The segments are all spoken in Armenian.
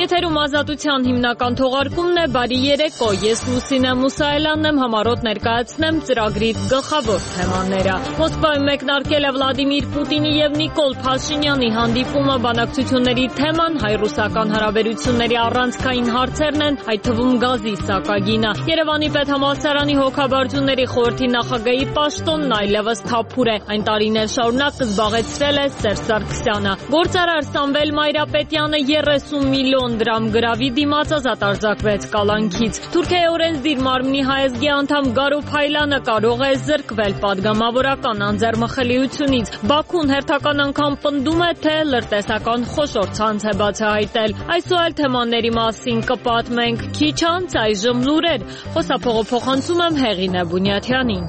Եթերում ազատության հիմնական թողարկումն է, բարի երեկո, ես Լուսինե Մուսայելյանն եմ, համառոտ ներկայացնեմ ծրագրի գլխավոր թեմաները։ Մոսկվայում մեկնարկել է Վլադիմիր Պուտինի եւ Նիկոլ Փաշինյանի հանդիպումը, բանակցությունների թեման հայ-ռուսական հարաբերությունների առանցքային հարցերն են, այդ թվում գազի սակագինը։ Երևանի պետհամալսարանի հոգաբարձությունների խորհրդի նախագահի պաշտոնն այլևս թափուր է, այն տարիներ շարունակ զբաղեցրել է Սերժ Սարգսյանը։ Գործարար Սամվել Մայրապետյանը 30 միլիոն դրամ գրավի դիմաց ազատ արձակվեց կալանքից։ Թուրքիայի օրենսդիր մարմնի հայազգի անդամ Գարո Փայլյանը կարող է զրկվել պատգամավորական անձեռմխելիությունից։ Բաքուն հերթական անգամ պնդում է, թե լրտեսական խոշոր ցանց է բացահայտել։ Այս ու այլ թեմաների մասին կպատմենք քիչ անց, այժմ լուրեր։ Խոսափողը փոխանցում եմ Հեղինե Բունյաթյանին։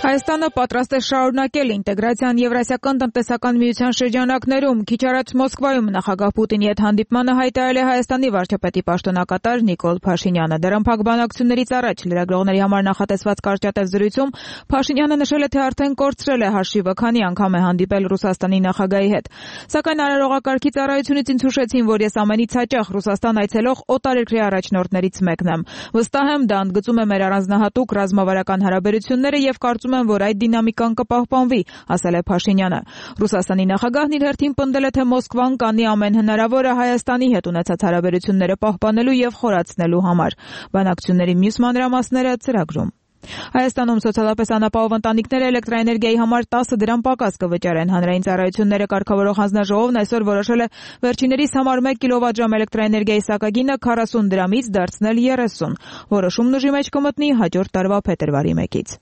Հայաստանը պատրաստ է շարունակել ինտեգրացիան Եվրասիական տնտեսական միության շրջանակներում։ Քիչ առաջ Մոսկվայում նախագահ Պուտինի հետ հանդիպմանը հայտարարել է Հայաստանի վարչապետի պաշտոնակատար Նիկոլ Փաշինյանը։ Դրանփակ բանակցություններից առաջ լրագրողների համար նախատեսված կարճատև զրույցում Փաշինյանը նշել է, թե արդեն կորցրել է հաշիվը, քանի անգամ է հանդիպել Ռուսաստանի նախագահի հետ։ Սակայն արարողակարգի ծառայությունից ինձ հուշեցին, որ ես ամենից հաճախ Ռուսաստան այցելող օտարերկրյա առաջնորդներից մեկն եմ։ Վստահ եմ, դա ընդգծում է մեր առանձնահատուկ ռազմավարական հարաբերությունները եւ կարծում եմ, որ այդ դինամիկան կպահպանվի, ասել է Փաշինյանը։ Ռուսաստանի նախագահն իր հերթին պնդել է, թե Մոսկվան կանի ամեն հնարավորը Հայաստանի հետ ունեցած հարաբերությունները պահպանելու եւ խորացնելու համար։ Բանակցությունների մյուս մանրամասները ծրագրում։ Հայաստանում սոցիալապես անապահով ընտանիքները էլեկտրաէներգիայի համար 10 դրամ պակաս կվճարեն։ Հանրային ծառայությունները կարգավորող հանձնաժողովն այսօր որոշել է վերջիններիս համար 1 կիլովատժամ էլեկտրաէներգիայի սակագինը 40 դրամից դարձնել 30։ Որոշումն ուժի մեջ կմտնի հաջորդ տարվա փետրվարի 1-ից։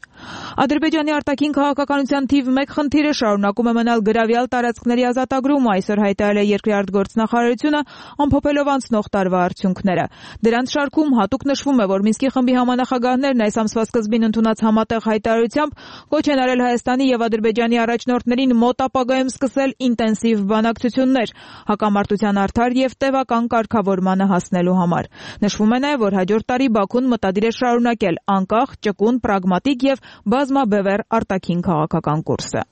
Ադրբեջանի արտաքին քաղաքականության թիվ 1 խնդիրը շարունակում է մնալ գրավյալ տարածքների ազատագրումը, այսօր հայտարարել է երկրի արտգործնախարարությունը, ամփոփելով անցնող տարվա արդյունքները։ Դրանց շարքում հատուկ նշվում է, որ Մինսկի խմբի համանախագահներն այս ամսվա սկզբին ընդունած համատեղ հայտարարությամբ կոչ են արել Հայաստանի եւ Ադրբեջանի առաջնորդներին մոտ ապագայում սկսել ինտենսիվ բանակցություններ հակամարտության արդար եւ տևական կարգավորմանը հասնելու համար։ Նշվում է նաեւ, որ հաջորդ տարի Բաքուն մտադիր է շարունակել անկախ, ճկուն, պրագմատիկ եւ բազմաբևեռ արտաքին քաղաքական կուրսը։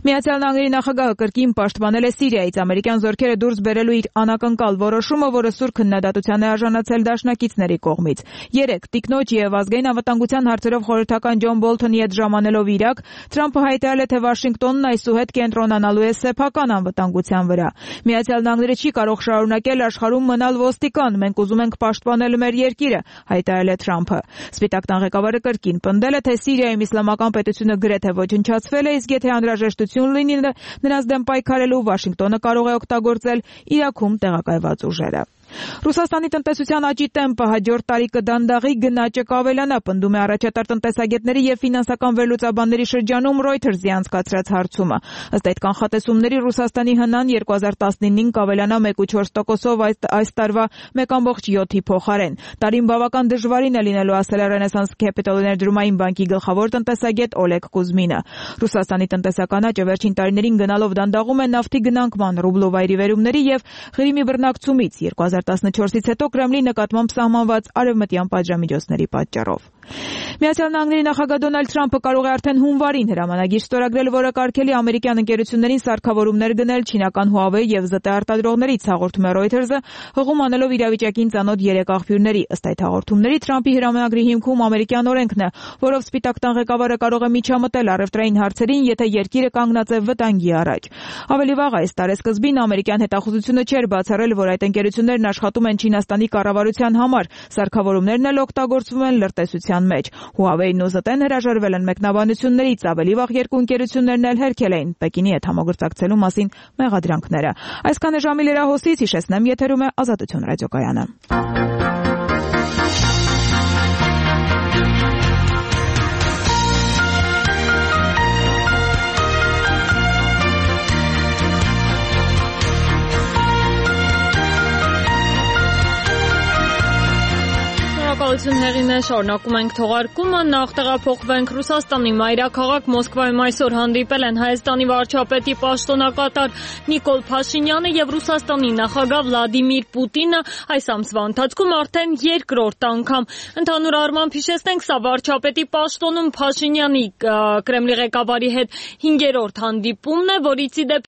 Միացյալ Նահանգների նախագահը կրկին պաշտպանել է Սիրիայից ամերիկյան զորքերը դուրս բերելու իր անակնկալ որոշումը, որը սուր քննադատության է արժանացել դաշնակիցների կողմից։ 3 տիկնոջ եւ ազգային անվտանգության հարցերով խորհրդական Ջոն Բոլթոնի հետ ժամանելով Իրաք, Թրամփը հայտարարել է, թե Վաշինգտոնն այսուհետ կենտրոնանալու է սեփական անվտանգության վրա։ Միացյալ Նահանգները չի կարող շարունակել աշխարհում մնալ ոստիկան, մենք ուզում ենք պաշտպանել մեր երկիրը, հայտարարել է Թրամփը։ Սպիտակ տան ղեկավարը կրկին պնդել է, թե Սիրիայում իսլամական պետությունը գրեթե ոչնչացվել է, իսկ եթե անհրաժեշտություն լինի նրանց դեմ պայքարելու, Վաշինգտոնը կարող է օգտագործել Իրաքում տեղակայված ուժերը։ Ռուսաստանի տնտեսության աճի տեմպը հաջորդ տարի կդանդաղի, գնաճը կավելանա, պնդում է առաջատար տնտեսագետների եւ ֆինանսական վերլուծաբանների շրջանում Reuters-ի անցկացրած հարցումը։ Ըստ այդ կանխատեսումների Ռուսաստանի հնան 2019-ին կավելանա 1.4%-ով այս տարվա 1.7-ի փոխարեն։ Տարին բավական դժվարին է լինելու, ասել է Renaissance Capital ներդրումային բանկի գլխավոր տնտեսագետ Օլեգ Կուզմինը։ Ռուսաստանի տնտեսական աճը վերջին տարիներին գնալով դանդաղում է նավթի գնանկման, ռուբլու վայրիվերումների եւ Ղրիմի բռնակցումից 2014-ից հետո Կրեմլի նկատմամբ սահմանված արևմտյան պատժամիջոցների պատճառով։ Միացյալ Նահանգների նախագահ Դոնալդ Թրամփը կարող է արդեն հունվարին հրամանագիր ստորագրել, որը կարգելի ամերիկյան ընկերություններին սարքավորումներ գնել չինական Huawei եւ ԶՏ արտադրողներից, հաղորդում է Reuters-ը, հղում անելով իրավիճակին ծանոթ 3 աղբյուրների։ Ըստ այդ հաղորդումների Թրամփի հրամանագրի հիմքում ամերիկյան օրենքն է, որով Սպիտակ տան ղեկավարը կարող է միջամտել առևտրային հարցերին, եթե երկիրը կանգնած է վտանգի առաջ։ Ավելի վաղ այս տարեսկզբին ամերիկյան հետախուզությունը չէր բացառել, որ այդ ընկերություններն աշխատում են Չինաստանի կառավարության համար, սարքավորումներն էլ օգտագործվում են լրտեսության մեջ։ Huawei-ն ու ԶՏ-ն հրաժարվել են մեկնաբանություններից, ավելի վաղ երկու ընկերություններն էլ հերքել էին Պեկինի հետ համագործակցելու մասին մեղադրանքները։ Այսքան է ժամի լրահոսից, հիշեցնեմ, եթերում է Ազատություն ռադիոկայանը։ Շնորհակալություն Հեղինե, շարունակում ենք թողարկումը, նախ տեղափոխվենք Ռուսաստանի մայրաքաղաք Մոսկվայում այսօր հանդիպել են Հայաստանի վարչապետի պաշտոնակատար Նիկոլ Փաշինյանը եւ Ռուսաստանի նախագահ Վլադիմիր Պուտինը այս ամսվա ընթացքում արդեն երկրորդ անգամ։ Ընդհանուր առմամբ հիշեցնենք, սա վարչապետի պաշտոնում Փաշինյանի Կրեմլի ղեկավարի հետ 5-րդ հանդիպումն է, որից ի դեպ